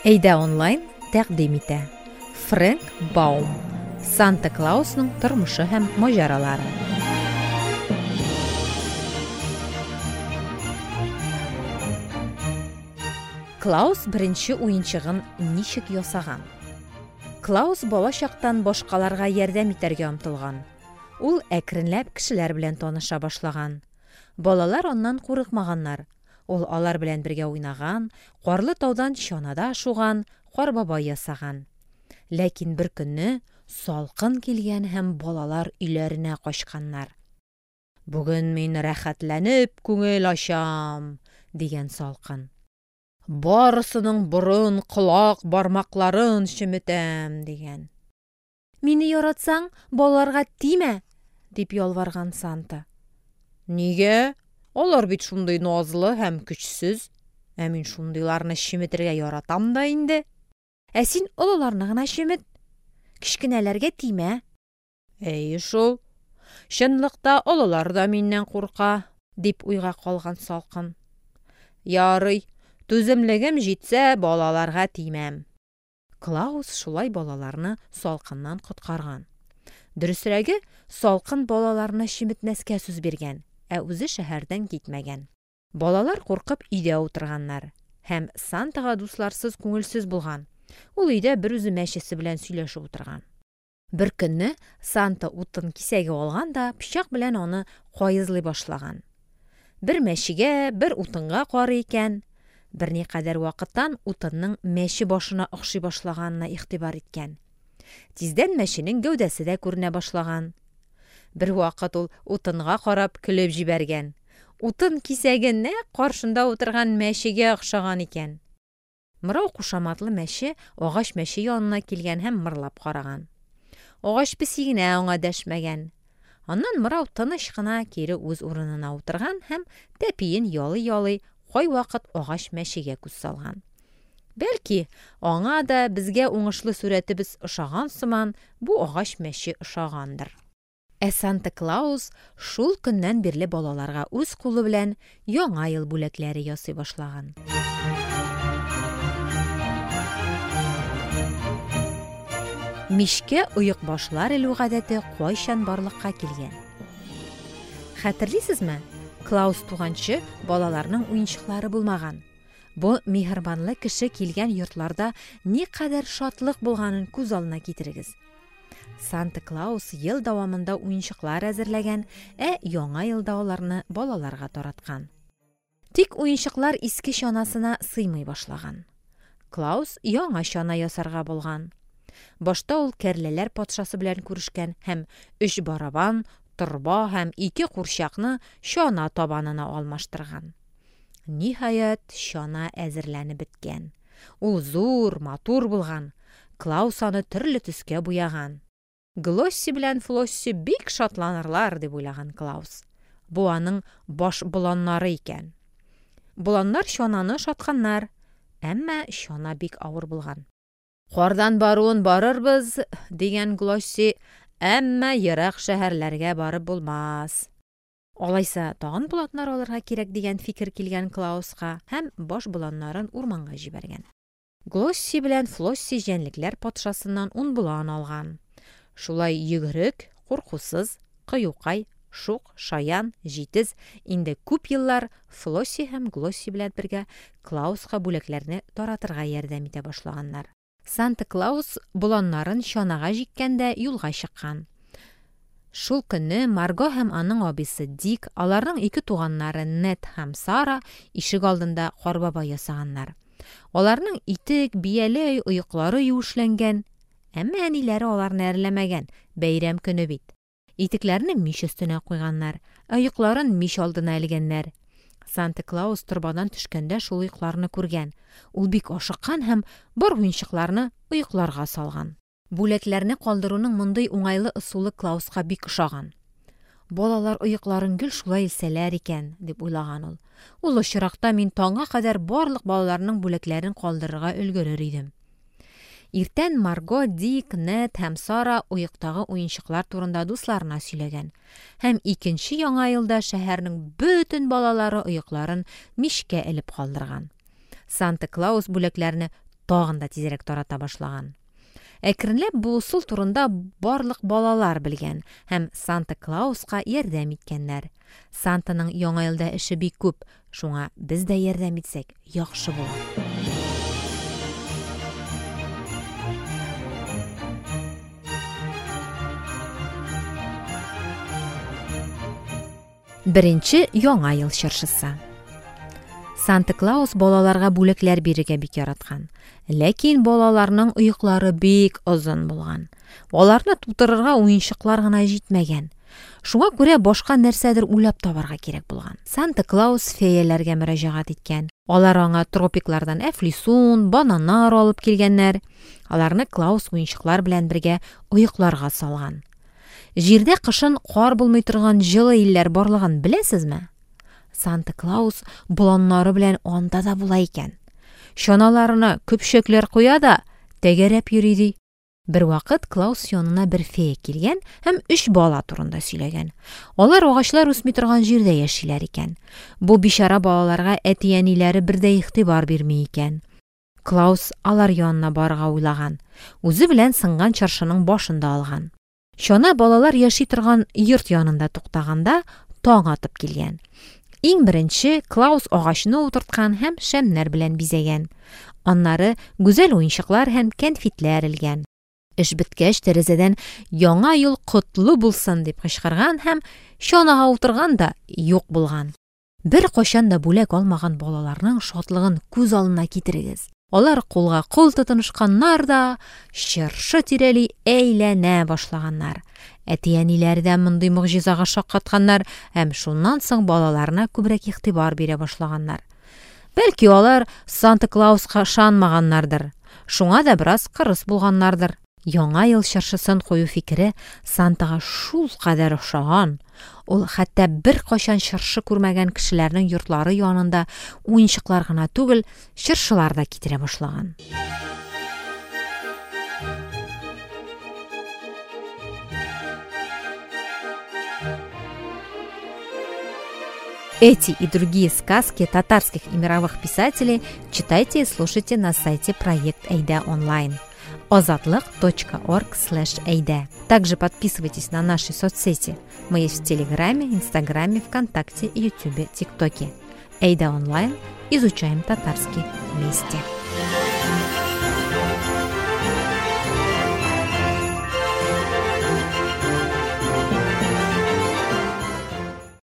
Әйдә онлайн тәкъдим итә. Фрэнк Баум. Санта Клаусның тормышы һәм маҗаралары. Клаус беренче уенчыгын ничек ясаган? Клаус бала чактан башкаларга ярдәм итәргә омтылган. Ул әкренләп кешеләр белән таныша башлаган. Балалар аннан курыкмаганнар. Ул алар белән бергә уйнаган, карлы таудан чанада шуган, кар бабай ясаган. Ләкин бер көнне салкын килгән һәм балалар өйләренә качканнар. Бүген мин рәхәтләнеп күңел ачам, дигән салкын. Барысының борын, колак, бармакларын чеметәм, дигән. Мине яратсаң, балаларга тимә, дип ялварган Санта. Нигә? Алар бит шундый назлы һәм көчсез. Ә мин шундыйларны чеметергә яратам да инде. Ә син олыларны гына чемет. Кечкенәләргә тимә. Әйе шул. Чынлыкта олылар да миннән курка, дип уйга калган салкын. Ярый, түземлегем җитсә, балаларга тимәм. Клаус шулай балаларны салкыннан коткарган. Дөресрәге, салкын балаларны чеметмәскә сүз биргән, ә үзе шәһәрдән китмәгән. Балалар куркып өйдә утырганнар. Һәм Сантага дусларсыз күңелсез булган. Ул өйдә берүзе мәчесе белән сөйләшеп утырган. Бер көнне Санта утын кисәге алган да пычак белән аны каезлый башлаган. Бер мәчегә, бер утынга карый икән. Берникадәр вакыттан утынның мәче башына охшый башлаганына игътибар иткән. Тиздән мәченең гәүдәсе дә күренә башлаган. Бервакыт ул утынга карап көлеп җибәргән. Утын кисәге нәкъ каршында утырган мәчегә охшаган икән. Мырау кушаматлы мәче агач мәче янына килгән һәм мырлап караган. Агач песи генә аңа дәшмәгән. Аннан Мырау тыныч кына кире үз урынына утырган һәм тәпиен ялый-ялый кайвакыт агач мәчегә күз салган. Бәлки, аңа да безгә уңышлы сурәтебез ошаган сыман, бу агач мәче ошагандыр. Ә Санта Клаус шул көннән бирле балаларга үз кулы белән Яңа ел бүләкләре ясый башлаган. Мичкә оекбашлар элү гадәте кайчан барлыкка килгән? Хәтерлисезме, Клаус туганчы балаларның уенчыклары булмаган. Бу миһербанлы кеше килгән йортларда никадәр шатлык булганын күз алдына китерегез. Санта Клаус ел дәвамында уенчыклар әзерләгән, ә Яңа елда аларны балаларга тараткан. Тик уенчыклар иске чанасына сыймый башлаган. Клаус яңа чана ясарга булган. Башта ул кәрләләр патшасы белән күрешкән һәм өч барабан, торба һәм ике курчакны чана табанына алмаштырган. Ниһаять, чана әзерләнеп беткән. Ул зур, матур булган. Клаус аны төрле төскә буяган. Глосси белән Флосси бик шатланырлар, дип уйлаган Клаус. Бу аның баш боланнары икән. Боланнар чананы ошатканнар, әмма чана бик авыр булган. Кардан баруын барырбыз, дигән Глосси, әмма ерак шәһәрләргә барып булмас. Алайса, тагын боланнар алырга кирәк дигән фикер килгән Клауска һәм баш боланнарын урманга җибәргән. Глосси белән Флосси җәнлекләр патшасыннан ун болан алган. Шулай йөгерек, куркусыз, кыюкай, шук, шаян, җитез, инде күп еллар Флосси һәм Глосси белән бергә Клауска бүләкләрне таратырга ярдәм итә башлаганнар. Санта Клаус боланнарын чанага җиккән дә юлга чыккан. Шул көнне Марго һәм аның абыйсы Дик, аларның ике туганнары Нед һәм Сара ишек алдында Кар бабай ясаганнар. Аларның итек, бияләй, оеклары юешләнгән. Әмма әниләре аларны әрләмәгән, бәйрәм көне бит. Итекләрне мич өстенә куйганнар, ә оекларын мич алдына элгәннәр. Санта Клаус торбадан төшкәндә шул оекларны күргән. Ул бик ашыккан һәм бар уенчыкларны оекларга салган. Бүләкләрне калдыруның мондый уңайлы ысулы Клауска бик ошаган. Балалар оекларын гел шулай элсәләр икән, дип уйлаган ул. Ул очракта мин таңга кадәр барлык балаларның бүләкләрен калдырырга өлгерер идем. Иртән Марго, Дик, Нед һәм Сара оектагы уенчыклар турында дусларына сөйләгән. Һәм икенче Яңа елда шәһәрнең бөтен балалары оекларын мичкә элеп калдырган. Санта Клаус бүләкләрне тагын да тизрәк тарата башлаган. Әкренләп бу ысул турында барлык балалар белгән һәм Санта Клауска ярдәм иткәннәр. Сантаның Яңа елда эше бик күп, шуңа без дә ярдәм итсәк, яхшы булыр. Беренче Яңа ел чыршысы. Санта Клаус балаларга бүләкләр бирергә бик яраткан. Ләкин балаларның оеклары бик озын булган. Аларны тутырырга уенчыклар гына җитмәгән. Шуңа күрә башка нәрсәдер уйлап табарга кирәк булган. Санта Клаус феяләргә мөрәҗәгать иткән. Алар аңа тропиклардан әфлисун, бананнар алып килгәннәр. Аларны Клаус уенчыклар белән бергә оекларга салган. Җирдә кышын кар булмый торган җылы илләр барлыгын беләсезме? Санта Клаус боланнары белән анда да була икән. Чаналарына көпчәкләр куя да, тәгәрәп йөри ди. Бервакыт Клаус янына бер фея килгән һәм өч бала турында сөйләгән. Алар агачлар үсми торган җирдә яшиләр икән. Бу бичара балаларга әти-әниләре бер дә игътибар бирми икән. Клаус алар янына барырга уйлаган. Үзе белән сынган чыршының башын да алган. Чана балалар яши торган йорт янында туктаганда, таң атып килгән. Иң беренче Клаус агачны утырткан һәм шәмнәр белән бизәгән. Аннары гүзәл уенчыклар һәм кәнфитләр элгән. Эш беткәч, тәрәзәдән «Яңа ел котлы булсын!» дип кычкырган һәм чанага утырган да юк булган. Беркайчан да бүләк алмаган балаларның шатлыгын күз алдына китерегез. Алар кулга кул тотынышканнар да, чыршы тирәли әйләнә башлаганнар. Әти-әниләре дә мондый могҗизага шаккатканнар һәм шуннан соң балаларына күбрәк игътибар бирә башлаганнар. Бәлки алар Санта Клауска ышанмаганнардыр, шуңа да бераз кырыс булганнардыр. Яңа ел чыршысын кую фикере Сантага шулкадәр ошаган, ул хәтта беркайчан чыршы күрмәгән кешеләрнең йортлары янында уенчыклар гына түгел, чыршылар да китерә башлаган. Эти и другие сказки татарских и мировых писателей читайте и слушайте на сайте Проект Әйдә онлайн ozodliq.org/ayda. Также подписывайтесь на наши соцсети. Мы есть в Телеграме, Инстаграме, ВКонтакте, Ютубе, ТикТоке. Әйдә онлайн. Изучаем татарский вместе.